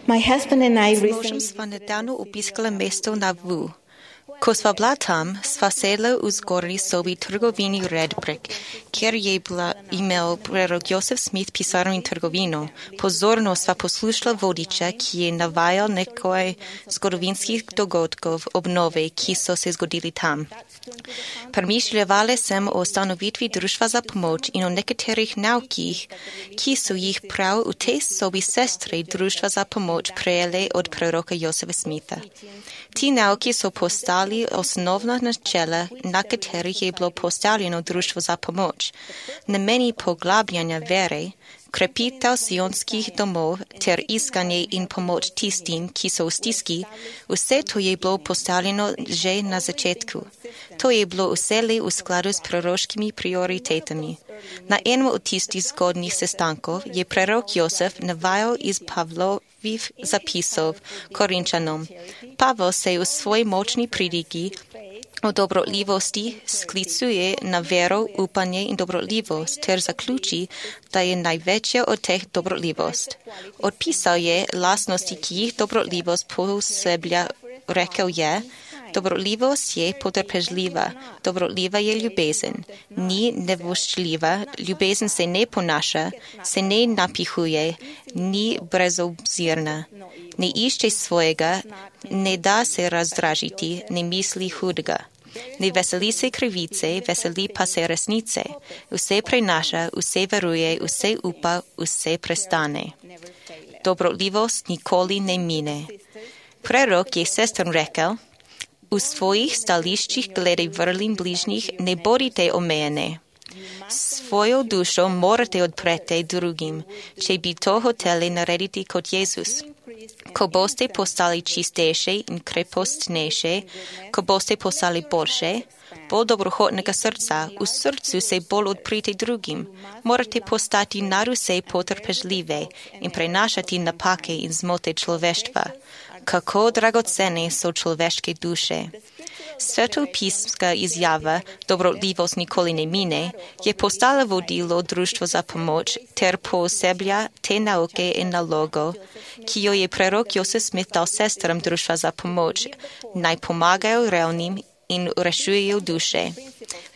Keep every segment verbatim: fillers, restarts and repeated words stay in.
My husband and I С recently мужем сва недавно обискали место на Ву. Ко сва бла там, сва седла узгорни соби трговини Редбрик, кjer je bila imel prerok Josef Smith pisarno trgovino. Pozorno sva poslušala vodiča, ki je navajal nekaj zgodovinskih dogodkov obnove, ki so se zgodili tam. Premišljala sem o ustanovitvi društva za pomoč in o nekaterih naukih, ki so jih prav v tej sobi sestre društva za pomoč prejele od preroka Josefa Smitha. Ti nauki so postali osnovna načela, na katerih je bilo postavljeno društvo za pomoč. Nameni poglabljanja vere, krepitev sionskih domov ter iskanje in pomoč tistim, ki so v stiski, vse to je bilo postavljeno že na začetku. To je bilo vselej v skladu s proroškimi prioritetami. Na enem od tistih zgodnjih sestankov je prerok Josef navajal iz Pavlovih zapisov Korinčanom. Pavel se v svoji močni pridigi o dobroljivosti sklicuje na vero, upanje in dobroljivost ter zaključi, da je največja od teh dobroljivost. Odpisal je lastnosti, ki jih dobroljivost poseblja, rekel je, dobroljivost je potrpežljiva, dobroljiva je ljubezen, ni nevoščljiva, ljubezen se ne ponaša, se ne napihuje, ni brezobzirna, ne išče svojega, ne da se razdražiti, ne misli hudega. Ne veseli se krivice, veseli pa se resnice. Vse prenaša, vse veruje, vse upa, vse prestane. Dobroljivost nikoli ne mine. Prerok je sestram rekel, v svojih stališčih glede vrlin bližnjih ne bodite omejene. Svojo dušo morate odpreti drugim, če bi to hoteli narediti kot Jezus. Ko boste postali čistejše in krepostnejše, ko boste postali boljše, bolj dobrohotnega srca, v srcu se bolj odprite drugim, morate postati naruse potrpežljive in prenašati napake in zmote človeštva. Kako dragocene so človeške duše. Svetopismska izjava dobroljivost nikoli ne mine je postala vodilo društvo za pomoč ter pooseblja te nauke in nalogo, ki jo je prerok Josef Smith dal sestram društva za pomoč, naj pomagajo revnim in rešujejo duše.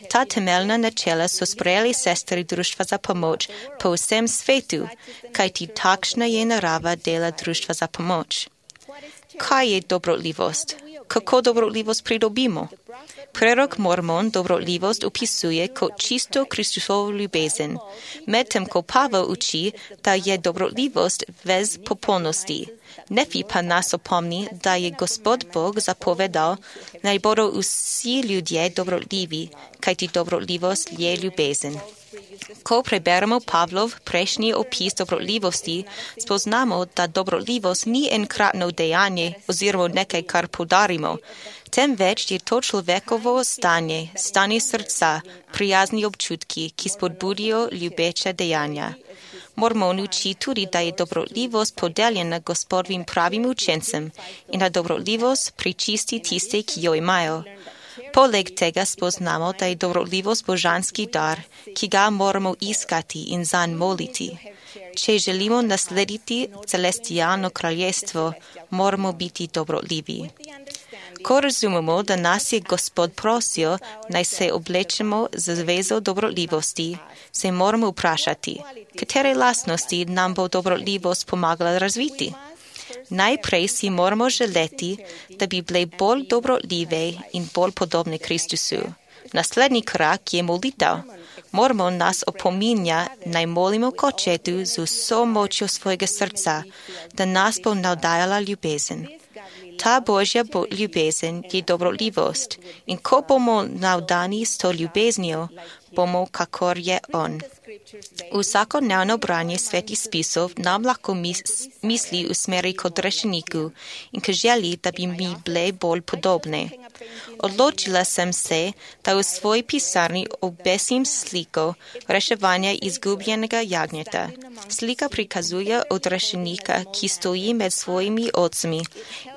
Ta temeljna načela so sprejeli sestri društva za pomoč po vsem svetu, kajti takšna je narava dela društva za pomoč. Kaj je dobroljivost? Kako dobroljivost pridobimo? Prerok Mormon dobroljivost opisuje kot čisto Kristusovo ljubezen, medtem ko Pavel uči, da je dobroljivost vez popolnosti. Nefi pa nas opomni, da je Gospod Bog zapovedal, naj bodo vsi ljudje dobroljivi, kajti dobroljivost je ljubezen. Ko preberemo Pavlov prejšnji opis dobroljivosti, spoznamo, da dobroljivost ni enkratno dejanje oziroma nekaj, kar poudarimo, temveč je to človekovo stanje, stanje srca, prijazni občutki, ki spodbudijo ljubeče dejanja. Mormon uči tudi, da je dobroljivost podeljena Gospodovim pravim učencem in da dobroljivost pričisti tiste, ki jo imajo. Poleg tega spoznamo, da je dobroljivost božanski dar, ki ga moramo iskati in zanj moliti. Če želimo naslediti celestialno kraljestvo, moramo biti dobroljivi. Ko razumemo, da nas je Gospod prosil, naj se oblečemo z zvezo dobroljivosti, se moramo vprašati, katere lastnosti nam bo dobroljivost pomagala razviti. Najprej si moramo želeti, da bi bile bolj dobroljive in bolj podobne Kristusu. Naslednji korak je molitev. Moramo nas opominja, naj molimo k Očetu z vso močjo svojega srca, da nas bo navdajala ljubezen. Ta Božja bo ljubezen je dobroljivost in ko bomo navdani s to ljubeznijo, bomo kakor je On. Vsakodnevno branje svetih spisov nam lahko mis, misli usmeri kot rešeniku in k želji, da bi mi bile bolj podobne. Odločila sem se, da v svoji pisarni obesim sliko reševanja izgubljenega jagnjeta. Slika prikazuje odrešenika, ki stoji med svojimi ocmi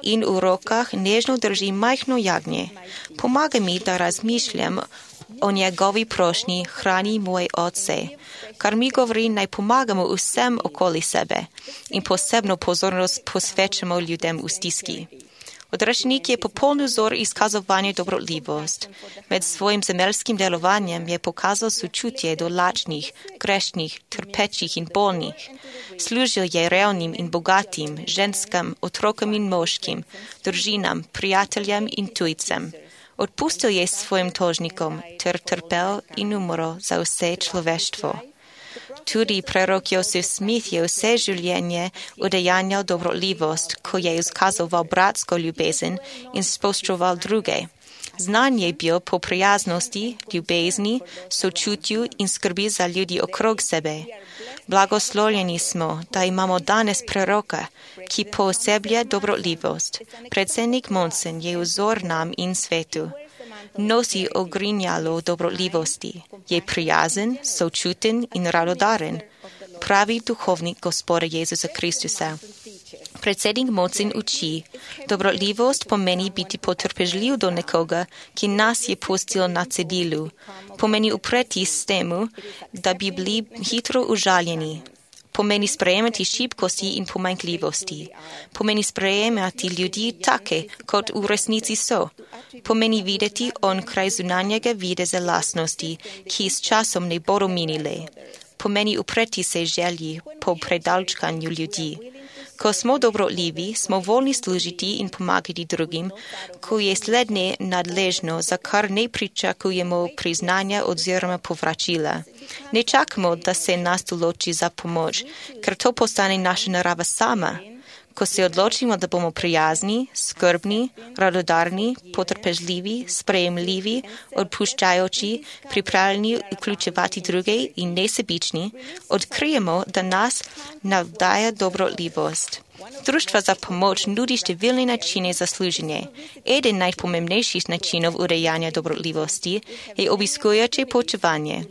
in v rokah nežno drži majhno jagnje. Pomaga mi, da razmišljam o njegovi prošnji hrani moj oče. Kar mi govori, naj pomagamo vsem okoli sebe in posebno pozornost posvečamo ljudem v stiski. Odrešenik je popoln vzor izkazovanja dobroljivost. Med svojim zemeljskim delovanjem je pokazal sočutje do lačnih, grešnih, trpečih in bolnih. Služil je revnim in bogatim, ženskam, otrokom in moškim, družinam, prijateljem in tujcem. Odpustil je svojim tožnikom ter trpel in umrl za vse človeštvo. Tudi prerok Joseph Smith je vse življenje udejanjal dobroljivost, ko je izkazoval bratsko ljubezen in spoštoval druge. Znan je bil po prijaznosti, ljubezni, sočutju in skrbi za ljudi okrog sebe. Blagoslovljeni smo, da imamo danes preroka, ki pooseblja dobroljivost. Predsednik Monsen je vzor nam in svetu. Nosi ogrinjalo dobroljivosti, je prijazen, sočuten in radodaren, pravi duhovnik Gospoda Jezusa Kristusa. Predsednik Monsen uči, dobroljivost pomeni biti potrpežljiv do nekoga, ki nas je pustil na cedilu. Pomeni upreti s temu, da bi bili hitro užaljeni. Pomeni sprejemati šibkosti in pomanjkljivosti. Pomeni sprejemati ljudi take, kot v resnici so. Pomeni videti onkraj zunanjega videza lastnosti, ki s časom ne bodo minile. Pomeni upreti se želji po predalčkanju ljudi. Ko smo dobroljivi, smo voljni služiti in pomagati drugim, ko je slednje nadležno, za kar ne pričakujemo priznanja oziroma povračila. Ne čakamo, da se nas določi za pomoč, ker to postane naša narava sama. Ko se odločimo, da bomo prijazni, skrbni, radodarni, potrpežljivi, sprejemljivi, odpuščajoči, pripravljeni vključevati druge in nesebični, odkrijemo, da nas navdaja dobroljivost. Društva za pomoč nudi številne načine za služenje. Eden najpomembnejših načinov urejanja dobroljivosti je obiskujoče poučevanje.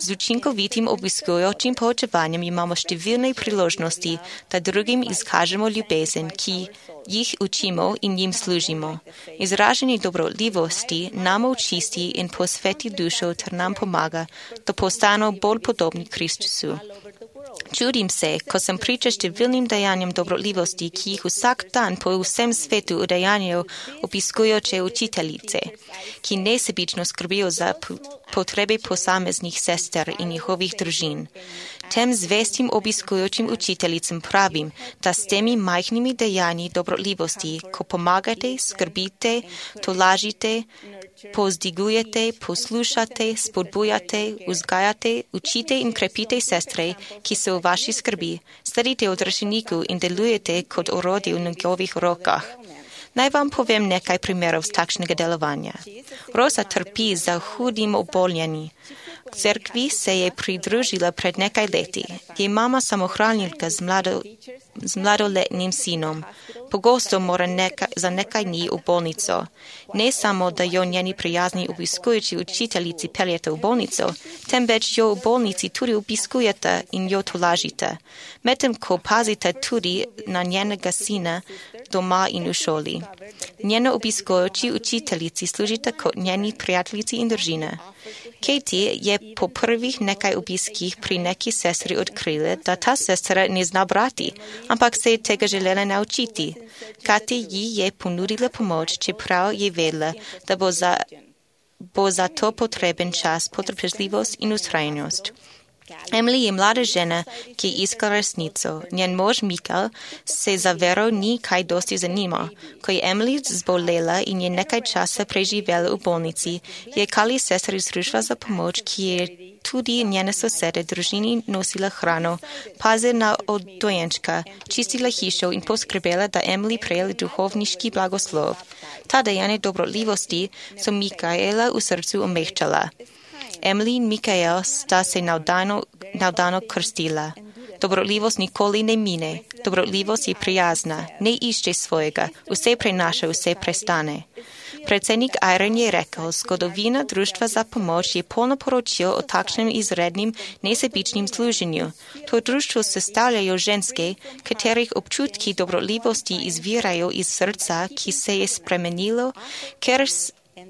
Z učinkovitim obiskujočim poučevanjem imamo številne priložnosti, da drugim izkažemo ljubezen, ki jih učimo in jim služimo. Izražanje dobroljivosti nam očisti in posveti dušo ter nam pomaga, da postanemo bolj podobni Kristusu. Čudim se, ko sem priča številnim dejanjem dobroljivosti, ki jih vsak dan po vsem svetu udejanjajo obiskujoče učiteljice, ki nesebično skrbijo za potrebe posameznih sester in njihovih družin. Tem zvestim obiskujočim učiteljicam pravim, da s temi majhnimi dejanji dobroljivosti, ko pomagate, skrbite, tolažite, pozdigujete, poslušate, spodbujate, vzgajate, učite in krepite sestre, ki so v vaši skrbi, sledite odrešeniku in delujete kot orodje v njegovih rokah. Naj vam povem nekaj primerov z takšnega delovanja. Rosa trpi za hudim oboljenjem. K cerkvi se je pridružila pred nekaj leti. Je mama samohranilka z, mlado, z mladoletnim sinom. Pogosto mora neka, za nekaj dni v bolnico. Ne samo, da jo njeni prijazni obiskujoči učiteljici peljete v bolnico, temveč jo v bolnici tudi obiskujete in jo tolažite. Medtem ko pazite tudi na njenega sina doma in v šoli. Njeno obiskujoči učiteljici služite kot njeni prijateljici in družine. Katie je po prvih nekaj obiskih pri neki sestri odkrila, da ta sestra ne zna brati, ampak se je tega želela naučiti. Katie ji je ponudila pomoč, čeprav je vedela, da bo za, bo za to potreben čas, potrpežljivost in ustrajnost. Emily je mlada žena, ki iska resnico. Njen mož Mikael se za vero ni kaj dosti zanimal. Ko je Emily zbolela in je nekaj časa preživela v bolnici, je Kali sestra iz društva za pomoč, ki je tudi njene sosede družini nosila hrano, pazila od dojenčka, čistila hišo in poskrbela, da Emily prejela duhovniški blagoslov. Ta dejanja dobroljivosti so Mikaela v srcu omehčala. Emily in Mikael sta se navdano, navdano krstila. Dobroljivost nikoli ne mine. Dobroljivost je prijazna, ne išče svojega, vse prenaša, vse prestane. Predsednik Iron je rekel, zgodovina društva za pomoč je polno poročil o takšnem izrednim nesebičnim služenju. To društvo sestavljajo ženske, katerih občutki dobroljivosti izvirajo iz srca, ki se je spremenilo, ker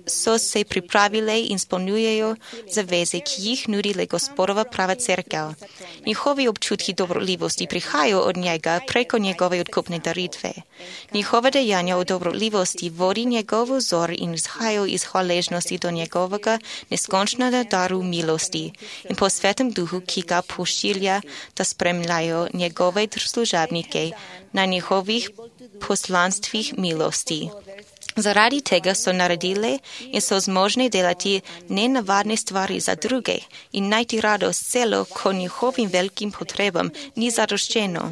so se pripravile in izpolnjujejo zaveze, ki jih nudi Gospodova prava cerkev. Njihovi občutki dobroljivosti prihajajo od njega preko njegove odkupne daritve. Njihova dejanja o dobroljivosti vodi njegov vzor in izhajajo iz hvaležnosti do njegovega neskončnega daru milosti in po svetem duhu, ki ga pošilja, da spremljajo njegove služabnike na njihovih poslanstvih milosti. Zaradi tega so naredile in so zmožne delati nenavadne stvari za druge in najti radost celo, ko njihovim velikim potrebam ni zadoščeno.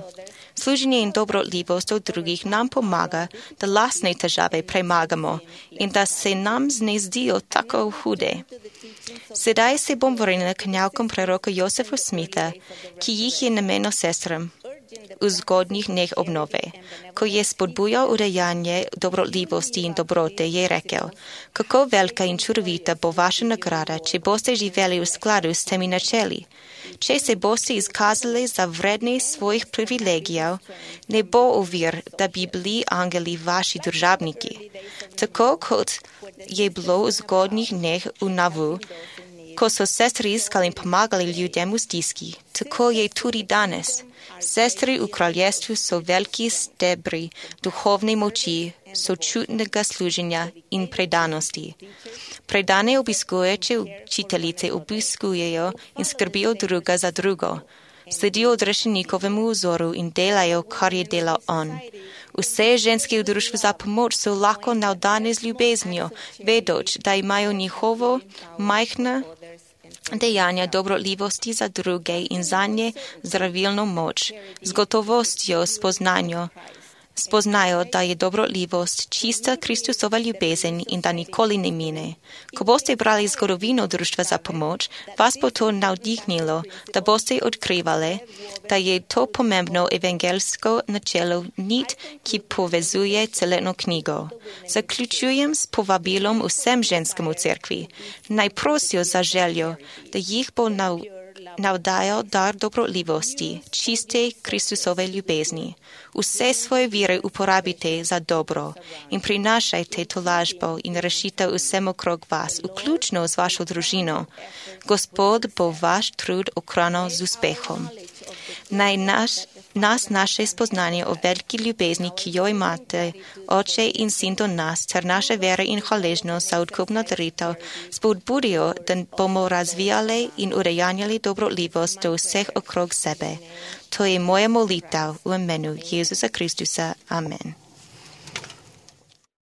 Služenje in dobroljivost od drugih nam pomaga, da lastne težave premagamo in da se nam ne zdijo tako hude. Sedaj se bom vrnila k navkom preroka Josefa Smitha, ki jih je namenil sestram v zgodnjih dneh obnove. Ko je spodbujal udejanje dobroljivosti in dobrote, je rekel: kako velika in čudovita bo vaša nagrada, če boste živeli v skladu s temi načeli. Če se boste izkazali za vredne svojih privilegijev, ne bo ovir, da bi bili angeli vaši državniki. Tako kot je bilo v zgodnjih dneh v Navu, ko so sestri iskali in pomagali ljudem v stiski, tako je tudi danes. Sestri v kraljestvu so veliki stebri duhovne moči, sočutnega služenja in predanosti. Predane obiskujoče učiteljice obiskujejo in skrbijo druga za drugo. Sledijo odrešenikovemu vzoru in delajo, kar je delal on. Vse ženske v društvu za pomoč so lahko navdane z ljubeznijo, vedoč, da imajo njihovo majhna dejanja dobroljivosti za druge in zanje zdravilno moč, z gotovostjo spoznanjo. Spoznajo, da je dobroljivost čista Kristusova ljubezen in da nikoli ne mine. Ko boste brali zgodovino društva za pomoč, vas bo to navdihnilo, da boste odkrivali, da je to pomembno evangeljsko načelo nit, ki povezuje celotno knjigo. Zaključujem s povabilom vsem ženskemu v cerkvi. Naj prosijo za željo, da jih bo nav navdajal dar dobroljivosti, čiste Kristusove ljubezni. Vse svoje vire uporabite za dobro in prinašajte tolažbo in rešitev vsem okrog vas, vključno z vašo družino. Gospod bo vaš trud okronal z uspehom. Naj naš, nas naše spoznanje o veliki ljubezni, ki jo imate, Oče in Sin do nas, ter naše vere in hvaležnost za odkupno daritev, spodbudijo, da bomo razvijali in udejanjali dobroljivost do vseh okrog sebe. To je moja molitev v imenu Jezusa Kristusa. Amen.